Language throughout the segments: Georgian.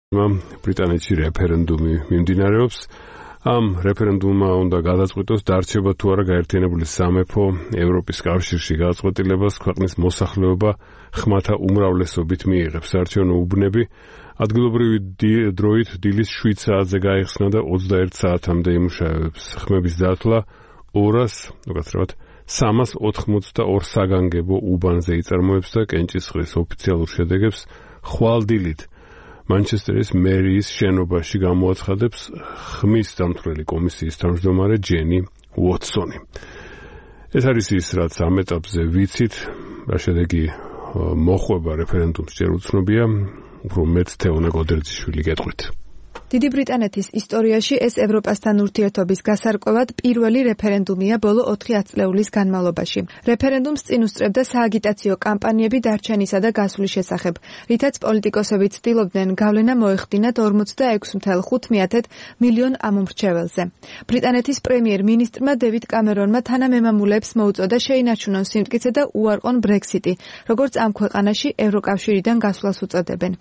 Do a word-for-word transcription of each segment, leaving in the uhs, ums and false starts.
ბრიტანეთში რეფერენდუმი მიმდინარეობს. ამ რეფერენდუმმა უნდა გადაწყვიტოს დარჩება თუ არა გაერთიანებული სამეფო ევროპის კავშირში გადაწყვეტილებას ქვეყნის მოსახლეობა ხმათა უმრავლესობით მიიღებს. საარჩევნო უბნები ადგილობრივი დროით დილის შვიდ საათზე გაიხსნა და ოცდაერთ საათამდე იმუშავებს. ხმების დათვლა ორას, უკაცრავად სამას ოთხმოცდაორ საგანგებო უბანზე იწარმოებს და კენჭისყრის ოფიციალურ შედეგებს ხვალ-დილით მანჩესტერის მერიის შენობაში გამოაცხადებს ხმის დამცველი კომისიის თავმჯდომარე ჯენი უოტსონი. ეს არის ის, რაც ამ ეტაპზე ვიცით, რა შედეგი მოხვება რეფერენდუმს ჯერ უცნობია, უფრო მეტ თეონა გოდერძიშვილი გეტყვით. დიდი ბრიტანეთის ისტორიაში ეს ევროპასთან ურთიერთობის გასარკვევად პირველი რეფერენდუმია ბოლო ოთხი ათწლეულის განმავლობაში. რეფერენდუმს წინ უსწრებდა სააგიტაციო კამპანიები დარჩენისა და გასვლის შესახებ, რითაც პოლიტიკოსები ცდილობდნენ გავლენა მოეხდინათ ორმოცდაექვსი ათეული ხუთი მილიონ ამომრჩეველზე. ბრიტანეთის პრემიერ-მინისტრმა დევიდ კამერონმა თანამემამულეებს მოუწოდა შეინარჩუნონ სიმტკიცე და უარყონ ბრექსიტი, როგორც ამ ქვეყანაში ევროკავშირიდან გასვლას უწოდებენ.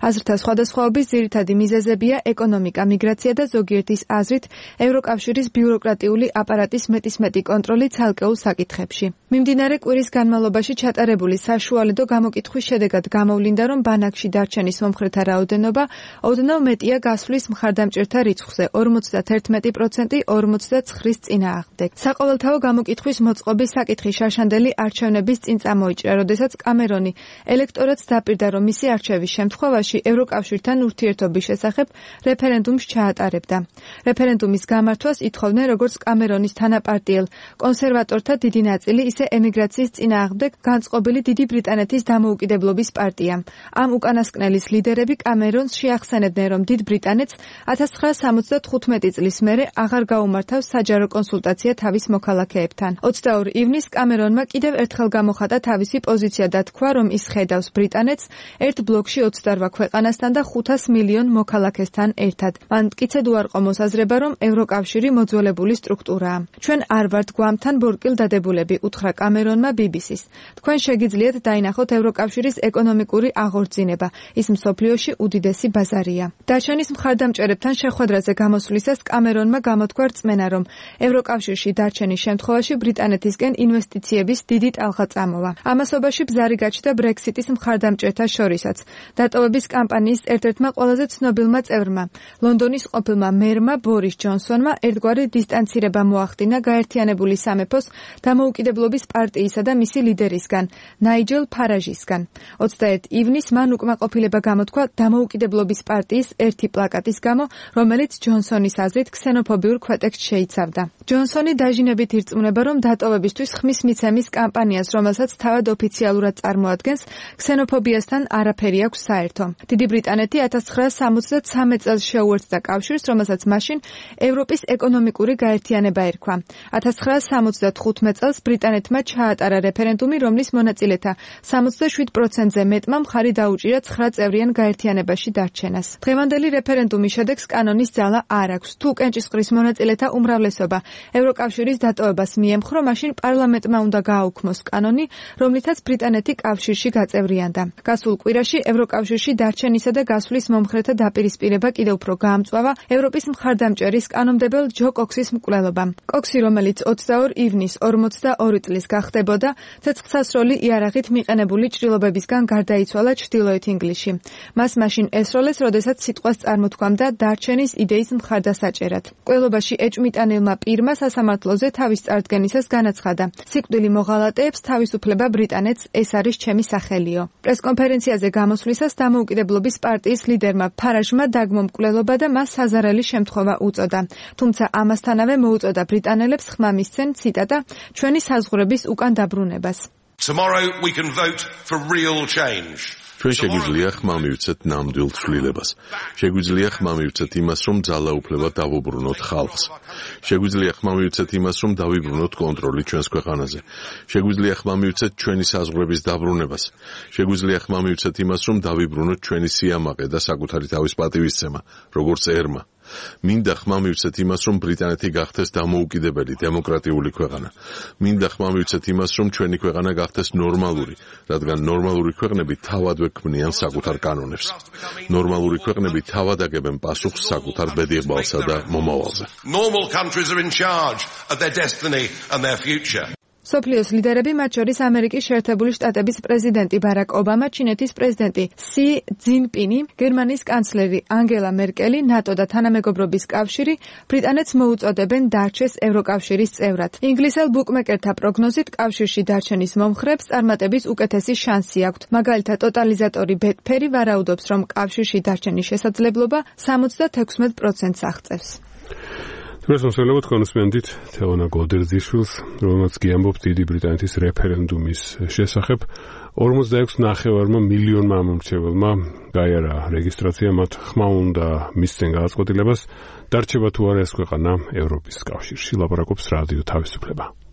აზრთა სხვადასხვაობის ძირითადი მიზეზებია ეკონომიკა, მიგრაცია და ზოგიერთის აზრით ევროკავშირის ბიუროკრატიული აპარატის მეტისმეტი კონტროლი ცალკეულ საკითხებში. მიმდინარე კვირის განმავლობაში ჩატარებული საშუალედო გამოკითხვის შედეგად გამოვლინდა, რომ ბანაკში დარჩენის მომხრეთა რაოდენობა ოდნავ მეტია გასვლის მხარდამჭერთა რიცხვზე ორმოცდაათი პროცენტი ორმოცდაცხრის წინააღმდეგ. საყოველთაო გამოკითხვის მოწყობის საკითხი შაშანდელი არჩევნების წინ წამოიჭრა, როდესაც კამერონი ელექტორატს დაპირდა, რომ მისი არჩევის შემთხვევაში ევროკავშირთან ურთიერთობის შესახებ რეფერენდუმს ჩაატარებდა. რეფერენდუმის გამართვას ითხოვდნენ როგორც კამერონის თანაპარტიელ კონსერვატორთა დიდი ნაწილი, ისე ემიგრაციის წინააღმდეგ განწყობილი დიდი ბრიტანეთის დამოუკიდებლობის პარტია. ამ უკანასკნელის ლიდერები კამერონს შეახსენებდნენ, რომ დიდ ბრიტანეთს ათას ცხრაასა სამოცდათხუთმეტი წლის მერე აღარ გაუმართავს საჯარო კონსულტაცია თავის მოქალაქეებთან. ოცდაორ ივნისს კამერონმა კიდევ ერთხელ გამოხატა თავისი პოზიცია და თქვა, რომ ის ხედავს ბრიტანეთს ერთ ბლოკში ოცდარვა ქვეყანასთან და ხუთას მილიონ მოქალაქესთან ერთად. მან მტკიცედ უარყო მოსაზრება, რომ ევროკავშირი მოძველებული სტრუქტურაა. ჩვენ არ ვართ გვამთან ბორკილ დადებულები, უთხრა კამერონმა ბი ბი სის. თქვენ შეგიძლიათ დაინახოთ ევროკავშირის ეკონომიკური აღორძინება. ის მსოფლიოში უდიდესი ბაზარია. დარჩენის მხარდამჭერებთან შეხვედრაზე გამოსვლისას კამერონმა გამოთქვა რწმენა, რომ ევროკავშირში დარჩენის შემთხვევაში ბრიტანეთისკენ ინვესტიციების დიდი ტალღა წამოვა. ამასობაში ბზარი გაჩნდა ბრექსიტის მხარდამჭერთა შორისაც. დატოვების კამპანიის ერთ-ერთმა ყველაზე ცნობილმა წევრმა, ლონდონის ყოფილმა მერმა ბორის ჯონსონმა ერთგვარი დისტანცირება მოახდინა გაერთიანებული სამეფოს დამოუკიდებლობის პარტიისა და მისი ლიდერისგან, ნაიჯელ ფარაჟისგან. ოცდაერთი ივნისს მან უკმაყოფილება გამოთქვა დამოუკიდებლობის პარტიის ერთი პლაკატის გამო, რომელიც ჯონსონის აზრით ქსენოფობიურ ქვეტექსტს შეიცავდა. ჯონსონი დაჟინებით ირწმუნება, რომ დატოვებისთვის ხმის მიცემის კამპანიას, რომელსაც თავად ოფიციალურად წარმოადგენს, ქსენოფობიასთან არაფერი აქვს საერთო. დიდი ბრიტანეთი ათას ცხრაასა სამოცდაცამეტ წელს შეუერთდა კავშირს, რომელსაც მაშინ ევროპის ეკონომიკური გაერთიანება ერქვა. ათას ცხრაასა სამოცდათხუთმეტ წელს ბრიტანეთმა ჩაატარა რეფერენდუმი, რომლის მონაწილეთა სამოცდაშვიდ პროცენტზე მეტმა მხარი დაუჭირა ცხრა წევრიან გაერთიანებაში დარჩენას. დღევანდელი რეფერენდუმის შედეგს კანონის ძალა არ აქვს. თუ კენჭისყრის მონაწილეთა უმრავლესობა ევროკავშირის დატოვებას მიემხრო, მაშინ პარლამენტმა უნდა გააუქმოს კანონი, რომლითაც ბრიტანეთი კავშირში გაწევრიანდა. გასულ კვირაში ევროკავშირში დარჩენისა და გასვლის მომხრეთა დაპირისპირება კიდევ უფრო გაამწვავა ევროპის მხარდამჭერის კანონმდებელ ჯო კოქსის მკვლელობამ. კოქსი, რომელიც ოცდაორ ივნისს ორმოცდაორი წლის გახდებოდა, ცეცხლსასროლი იარაღით მიყენებული ჭრილობებისგან გარდაიცვალა ჩრდილოეთ ინგლისში. მას მაშინ ესროლეს, როდესაც სიტყვას წარმოთქვამდა დარჩენის იდეის მხარდასაჭერად. მკვლელობაში ეჭვმიტანილმა პირმა სასამართლოზე თავის წარდგენისას განაცხადა: სიკვდილი მოღალატეებს თავისუფლება ბრიტანეთს, ეს არის ჩემი სახელიო. პრესკონფერენციაზე გამოსვლისას დამოუკიდებლობის პარტიის ლიდერმა ფარაჟმა დაგმო მკვლელობა და მას საზარელი შემთხვევა უწოდა. თუმცა ამასთანავე მოუწოდა ბრიტანელებს ხმა მისცენ, ციტატა, ჩვენი საზღვრების უკან დაბრუნებას. Tomorrow we can vote for real change. ჩვენ შეგვიძლია ხმა მივცეთ ნამდვილ ცვლილებას. შეგვიძლია ხმა მივცეთ იმას, რომ ძალაუფლება დავუბრუნოთ ხალხს. შეგვიძლია ხმა მივცეთ იმას, რომ დავიბრუნოთ კონტროლი ჩვენს ქვეყანაზე. შეგვიძლია ხმა მივცეთ ჩვენი საზღვრების დაბრუნებას. შეგვიძლია ხმა მივცეთ იმას, რომ დავიბრუნოთ ჩვენი სიამაყე და საკუთარი თავის პატივისცემა, როგორც ერმა. მინდა ხმა მივცეთ იმას, რომ ბრიტანეთი გახდეს დამოუკიდებელი დემოკრატიული ქვეყანა. მინდა ხმა მივცეთ იმას, რომ ჩვენი ქვეყანა გახდეს ნორმალური, რადგან ნორმალური ქვეყნები თავადვე ქმნიან საკუთარ კანონებს. ნორმალური ქვეყნები თავად აგებენ პასუხს საკუთარ ბედიღბალსა და მომავალზე. Normal countries are in charge of their destiny and their future. სოფლიოს ლიდერები, მათ შორის ამერიკის შეერთებული შტატების პრეზიდენტი ბარაკ ობამა, ჩინეთის პრეზიდენტი სი ძინპინი, გერმანიის კანცლერი ანგელა მერკელი, ნატო და თანამეგობრობის კავშირი ბრიტანეთს მოუწოდებენ დარჩეს ევროკავშირის წევრად. ინგლისელ ბუკმეკერთა პროგნოზით კავშირში დარჩენის მომხრეებს წარმატების უკეთესი შანსი აქვთ. მაგალითად, ტოტალიზატორი ბეტფერი ვარაუდობს, რომ კავშირში დარჩენის შესაძლებლობა სამოცდათექვსმეტ პროცენტს აღწევს. Დღეს მოსვლებოთ კონსპენდით თეონა გოდერძიშვილს, რომელმაც გიამბობს დიდი ბრიტანეთის რეფერენდუმის შესახებ. ორმოცდაექვსი ნახევარმა მილიონმა ამომრჩეველმა გაიარა რეგისტრაცია, მათ ხმა უნდა მისცენ გადაწყვეტილებას, დარჩება თუ არა ეს ქვეყანა ევროპის კავშირში. ლაპარაკობს რადიო თავისუფლება.